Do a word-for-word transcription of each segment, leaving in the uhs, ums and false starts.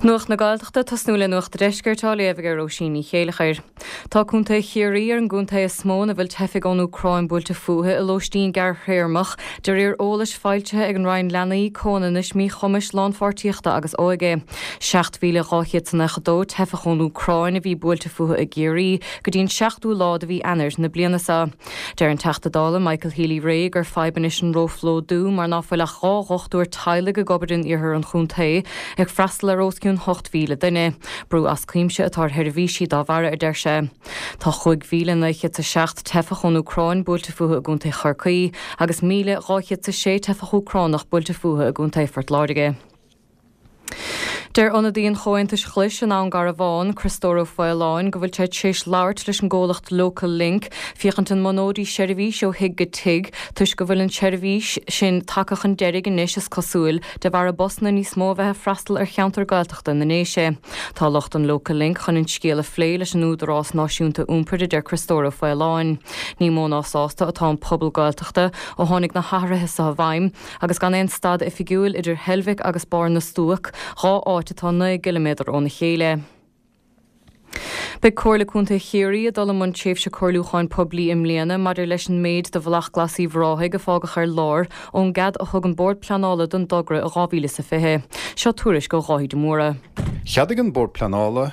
Nuacht na Gaeltachta tosnú le Nuacht an Deiscirt á léamh ag Róisín Ní Chéilleachair. Tá Contae Chiarraí ar an gcontae is mó ina bhfuil teifigh ón Úcráin buailte fúthu i lóistín gearrthéarmach de réir eolais foilsithe ag an Roinn Leanaí, Comhionannais, Míchumais, Lánpháirtíochta agus Óige. seacht mhíle dhá chéad is nócha dó teifeach ón Úcráin a bhí buailte fúthu i gCiarraí go dtí an seachtú lá de mhí Eanáir na bliana seo. Deir an Teachta Dála Michael Healy-Rae gur fadhb anois an róphlódú mar ná fuil ach dhá dhochtúir teaghlaigh ag obair in iarthar an chontae ag freastal ar os cionn ocht mhíle duine. Brú as cuimse atá ar sheirbhísí dá bharra a deir sé. Tá chúig mhíle naoi chéad is a seacht teifeach ón Úcráin buailte fúthu i gContae Chorcaí agus míle dhá chéad is a sé teifeach Úcránach buailte fúthu i gContae Phort Láirge. Deir ionadaí an Chomhaontais Ghlais in Abhainn Garbhán, Criostóir Ó Faoláin, go bhfuil sé tar éis labhairt leis an gcomhlacht Local Link féachaint an mbunóidís seirbhís ó thigh go tigh toisc go bhfuil an tseirbhís sin tagtha chun deiridh anois is cosúil de bharr busanna níos mó a bheith ag freastal ar cheantar Gaeltachta na nDéise. Tá lucht an Local Link chun an scéal a phlé leis an Údarás Náisiúnta Iompair a deir Criostóir Ó Faoláin. Ní mó ná sásta atá an pobal Gaeltachta ó tháinig na hathruithe seo i bhfeidhm agus gan aon stad oifigiúil idir Heilbhic agus Barr na Stuac, dhá áit atá naoi gciliméadar óna chéile. Beidh Comhairle Contae Chiarraí ag dul i mbun tréimhse comhairliúcháin poiblí i mbliana maidir leis an méid de Bhealach Glas Uíbh Ráthaigh a fágadh ar lár ón gcead a thug an Bord Pleanála don dtogra i dhá mhíle is a fiche. Seo tuairisc ó Dháithí de Mórdha. Cheadaigh an Bord Pleanála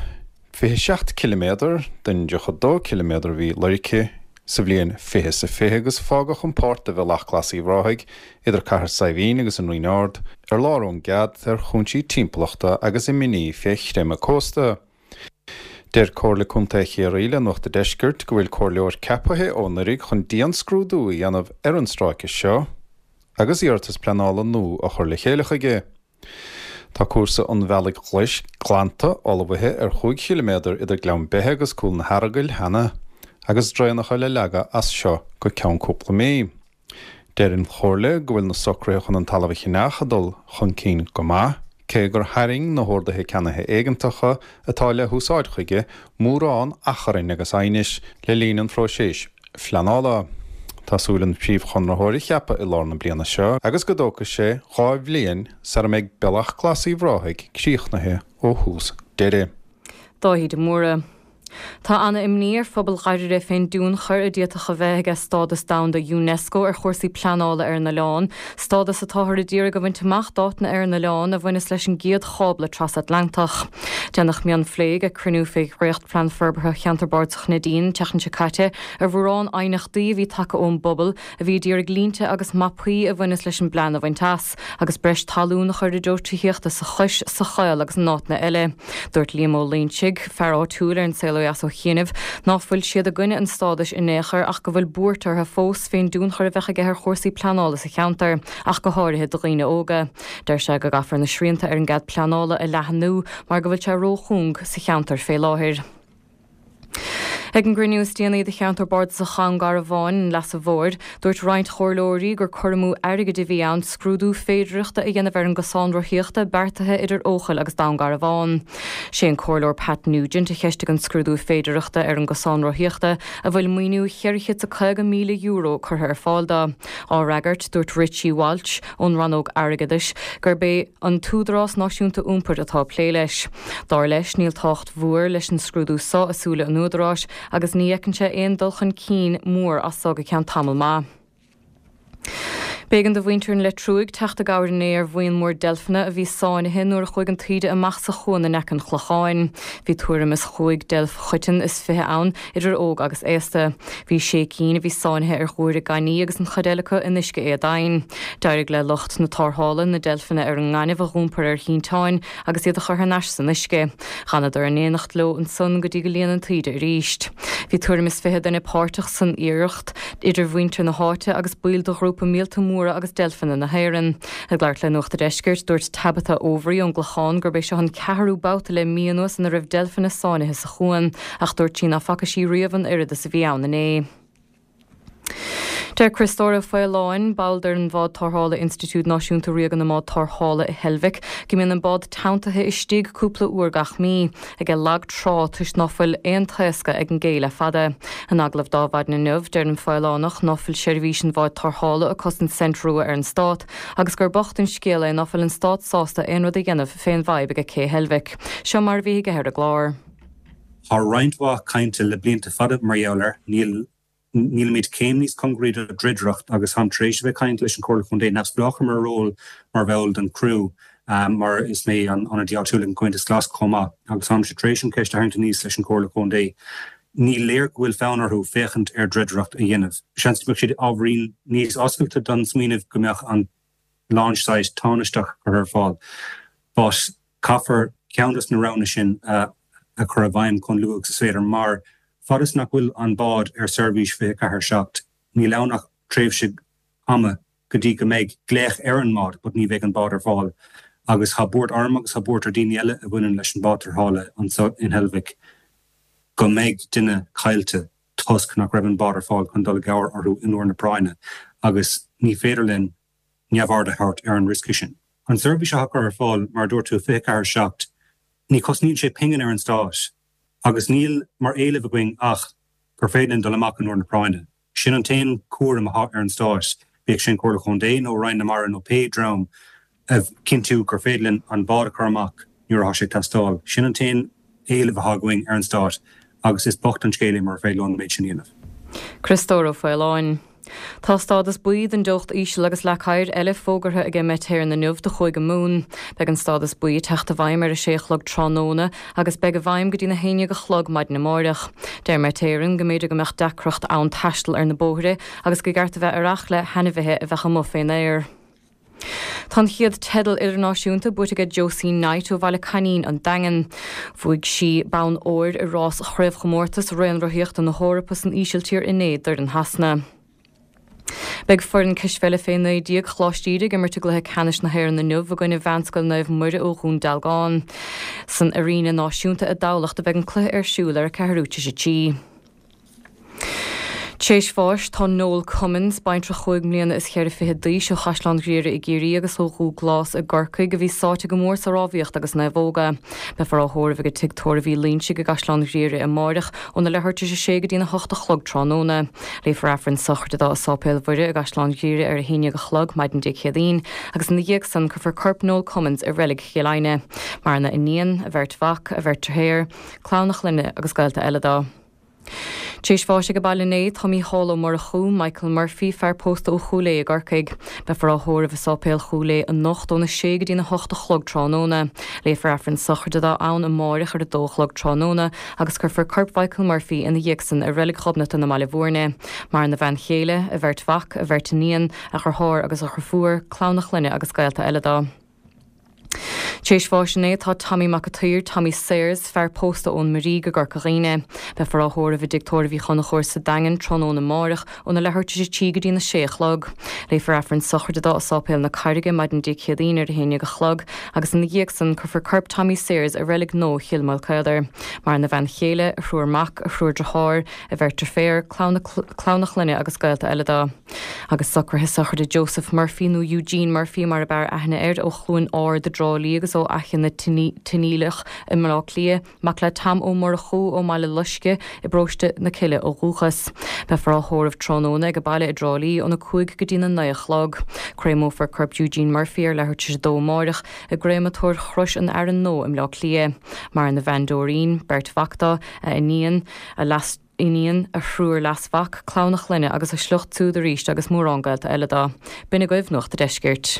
fiche seacht ciliméadar den dtríocha dó ciliméadar a bhí lorgtha sa bhliain fiche is a fiche agus fágadh an pháirt de Bhealach Glas Uíbh Ráthaigh idir Cathair Saidhbhín agus an Rinn Ard ar lár ón gcead ar chúinsí timpeallachta agus imní fé chreimeadh cósta. Deir Comhairle Contae Chiarraí le Nuacht an Deiscirt go bhfuil comhairleoir ceaptha ó anuraidh chun dianscrúdú a dhéanamh ar an stráice seo agus iarratas pleanála nua a chur le chéile chuige. Tá cúrsa an Bhealaigh Ghlais glanta ullmhaithe ar chúig chiliméadar idir Gleann Beithe agus Cúl na hEaragail cheana agus draenacha le leagadh as seo go ceann cúpla mí. Deir an Chomhairle go bhfuil na socruithe chun an talamh a cheannach ag dul chun cinn go maith, cé gur tharraing na horduithe ceannaithe éigeantacha atá le húsáid chuige mórán achrainn agus aighnis le linn an phróisis phleanála. Tá súil an príomhchonraitheoir a cheapadh i lár na bliana seo agus go dtógfaidh sé dhá bhliain sara mbeidh Bealach Glas Uíbh Ráthaigh críochnaithe ó thús deireadh. Dáithí de Mórdha. Tá ana-imní ar phobal Dhoire fén dtionchar a d'fhéadfadh a bheith aige stádas domhanda UNESCO ar chúrsaí pleanála ar an oileán, stádas atáthar ag iarraidh a bhaint amach d'áiteanna ar an oileán a bhaineas leis an gcéad chábla trasatlantach. Déanadh mionphlé ag cruinniú fé dhréachtphlean forbartha Cheantar Bardasach Neidín an tseachtain seo caite ar mhórán aighneachtaí a bhí tagtha ón bpobal a bhí ag iarraidh línte agus mapaí a bhaineas leis an bplean a bhaint as, agus breis talún a chur i dtreo tithíochta sa Chois, sa Choill agus in áiteanna eile. Dúirt Liam Ó Loingsigh, fear áitiúil ar an saol ó dheas ó chianaibh, ná fuil siad i gcoinne an stádais in aon chor ach go bhfuil buairt orthu fós fén dtionchar a bheadh aige ar chúrsaí pleanála sa cheantar, ach go háirithe do dhaoine óga. Deir sé go gcaithfear na srianta ar an gcead pleanála a leathnú mar go bhfuil sé róchúng sa cheantar fé láthair. Ag an gcruinniú is déanaí de Cheantar Bardasach Dhún Garbhán an Leasa Mhóir, dúirt roinnt chomhairleoirí gur cur amú airgid a bhí ann scrúdú féidearthachta a dhéanamh ar an gcosán rothaíochta beartaithe idir Eochaill agus Dún Garbhán. Sé an Comhairleoir Pat Nugent a cheistigh an scrúdú féidearthachta ar an gcosán rothaíochta a bhfuil maoiniú cheithre chéad is caoga míle euro curtha ar fáil dó. Á fhreagairt, dúirt Richie Walsh ón rannóg airgeadais gurb é an tÚdarás Náisiúnta Iompair atá ag plé leis. Dar leis, níl tábhacht mhór leis an scrúdú seo i súile an Údaráis agus ní fheiceann sé aon dul chun cinn mór as so go ceann tamall maith. B'éigean do mhuintir an Leitriúigh teacht i gcabhair inné ar bhuíon mór deilfeanna a bhí sáinnithe nuair a chuaigh an taoide amach sa chuan in aice an Chlocháin. Bhí tuairim is chúig deilf choiteann is fiche ann, idir óg agus aosta. Bhí sé cinn a bhí sáinnithe ar ghuaire gainní agus an chuid eile acu in uisce éadomhain. D'éirigh le lucht na tarrthála na deilfeanna ar an ngaineamh a dh'iompar ar shínteáin agus iad a chur thar n-ais san uisce. D'fhanadar in éineacht leo ansan go dtí go líon an taoide arís. Bhí tuairim is fiche duine páirteach san iarracht, idir mhuintir na háite agus baill de ghrúpa Míolta Móra agus Deilfeanna na hÉireann. Ag labhairt le Nuacht an Deiscirt, dúirt Tabitha Overy ón gClochán gurb é seo an ceathrú babhta le mí anuas ina raibh deilfeanna sáinnithe sa chuan, ach dúirt sí ná faca sí riamh an oiread is a bhí ann inné. Deir Criostóir Ó Faoláin, ball d'fhoireann bhád tarrthála Institiúid Náisiúnta Ríoga na mBád Tarrthála i Heilbhic, go mbíonn an bád teanntaithe istigh cúpla uair gach mí, aige lag trá toisc ná fuil aon taoscadh ag an gcé le fada. In agallamh do Adhmhaidin inniu, deir an Faolánach ná fuil seirbhís an bháid tarrthála ag cosaint cent rua ar an stát agus gur bocht an scéal é ná fuil an stát sásta aon rud a dhéanamh fén bhfadhb aige cé Heilbhic. Seo mar a bhí aige ar an gclár. Tá roinnt mhaith cainte le blianta fada mar gheall air, níl nílimid céim níos cóngaraí do dhruidireacht agus táim tar éis a bheith ag caint leis an Chomhairle Contae neamhspleách ar mo ról mar bhall den criú um, mar is mé an ionadaí áitiúil an Comhaontas Glas chomh maith agus táimse tar éis an cheist a tharraingt aníos leis an Chomhairle Contae. Ní léir go bhfuil fonn orthu féachaint ar dhruidireacht a dhéanamh. Seans go mbeadh siad ábhairín níos oscailte don smaoineamh go mbeadh an launch site tánaisteach curtha ar fáil. But caithfear ceann des na roghanna sin uh, a chur i bhfeidhm chomh luath is féidir mar fad is nach bhfuil an bád ar seirbhís fiche ceathair seacht, níl ann ach tréimhse ama go dtí go mbeidh glaoch ar an mbád, but ní bheidh an bád ar fáil. Agus tá buairt orm agus tá buairt ar daoine eile a bhaineann leis an bád tarrthála anseo in Heilbhic go mbeidh duine caillte toisc nach raibh an bád ar fáil chun dul i gcabhair orthu in uair na práinne, agus ní féidir linn neamhaird a thabhairt ar an riosca sin. An seirbhís a chur ar fáil mar dúirt tú fiche ceathair seacht, ní chosnaíonn sé pingin ar an stát, agus níl mar éileamh againn ach gur féidir linn dul amach in uair na práinne. Sin an t-aon chúram atá ar an stát, bíodh sin Comhairle Contae nó Roinn na Mara nó pé dream a chinntiú gur féidir linn an bád a chur amach nuair atá sé teastáil. Sin an t-aon éileamh atá againn ar an stát agus is bocht an scéal é mura féidir leo an méid sin a dhéanamh. Criostóir Ó Faoláin. Tá stádas buí den teocht íseal agus leac oighir eile fógartha ag Met Éireann inniu do Chúige Mumhan. Beidh an stádas buí ag teacht i bhfeidhm ar a sé a chlog tráthnóna agus beidh i bhfeidhm go dtí na haon déag a chlog maidin amárach. Deir Met Éireann go mb'fhéidir go mbeadh deacracht ann taisteal ar na bóithre agus gur ceart a bheith ar aire le hainmhithe a bheadh amuigh fén aer. Tá an chéad teideal idirnáisiúnta buaite ag Josie Knight ó Bhaile Coinín an Daingean. Bhuaigh sí bonn óir i rás chraobhchomórtas raonrothaíochta na hEorpa san Ísiltír inné d'fhoireann Shasana. Beidh foireann cispheile fé naoi déag Choláiste Íde ag imirt i gcluiche ceannais na hÉireann inniu i gcoinne Mheánscoil Naomh Muire ó Dhún Dealgán. San Airéine Náisiúnta i dTamhlacht a bheidh an cluiche ar siúl ar a ceathrú tar éis a trí. Tar éis bháis tá Noel Cummins, baintreach cúig mbliana is ceithre fiche d'aois ó Chaisleán Ghriaire i gCiarraí agus ó Dhúghlás i gCorcaigh a bhí sáite go mór sa rámhaíocht agus naomhóga. Beifear á thórramh ag Tigh Tórraimh Uí Loingsigh i gCaisleán Ghriaire amárach óna leathuair tar éis a sé go dtína hocht a chlog tráthnóna. Léifear Aifreann sochraide dó i Sáipéal Mhuire i gCaisleán Ghriaire ar a haon déag a chlog maidin Dé Céadaoin, agus ina dhiaidh san cuirfear corp Noel Cummins i reilig Chill Airne. Maireann a iníon, a bheirt mhac, a bheirt deartháir, clann a chlainne agus gaolta eile dó. Tar éis bháis ag a baile inné tá Mícheál Ó Murchú, Michael Murphy, fear pósta ó Chúil Aodha i gCorcaigh. Beifear á thórramh i Sáipéal Chúil Aodha anocht óna sé go dtína hocht a chlog tráthnóna. Léifear Aifreann sochraide dó ann amárach ar a dó a chlog tráthnóna agus cuirfear corp Michael Murphy ina dhiaidh san i reilig Ghobnatan i mBaile Bhúirne. Maireann a bhean chéile, a bheirt mhac, a bheirt iníon, a dheartháir agus a dheirfiúr, clann a chlainne agus gaolta eile dó. Tar éis bháis inné tá Tommy Mac an tSaoir, Tommy Sayers, fear pósta ón Mhiríg i gCorca Dhuibhne. Beifear á thórramh i dtigh tórraimh Uí Chonchúir sa Daingean tráthnóna amárach óna leathuair tar éis a trí go dtína sé a chlog. Léifear Aifreann sochraide dó i Sáipéal na Carraige maidin Dé Céadaoin ar a haon déag a chlog agus ina dhiaidh san cuirfear corp Tommy Sayers i reilig nua Chill Mhaolcéadair. Maireann a bhean chéile, a thriúr mac, a thriúr deartháir, a bheirt deirféar, clann a chlainne agus gaolta eile dó. Agus socruithe sochraide Joseph Murphy nó Eugene Murphy mar ab fhearr aithne air ó Chluain Ard i dTrá Lí agus ó Fhaiche na Tine-Aoileach i mBaile Átha Cliath, mac le Tom Ó Murchú ó mBaile Loisce i bparóiste na Cille ó dhúchas. Beifear á thórramh tráthnóna ag a baile i dTrá Lí óna cúig go dtí na naoi a chlog. Créamófar corp Eugene Murphy ar leathuair tar éis a dó amárach i gcréamatóir Chrois an Fhearainn Nua i mBaile Átha Cliath. Maireann a bhean Doreen, beirt mhac dó, a iníon, a leas iníon, a thriúr leasmhac, clann a chlainne agus a shliocht siúd arís agus mórán gaolta eile dó. B'in agaibh Nuacht an Deiscirt.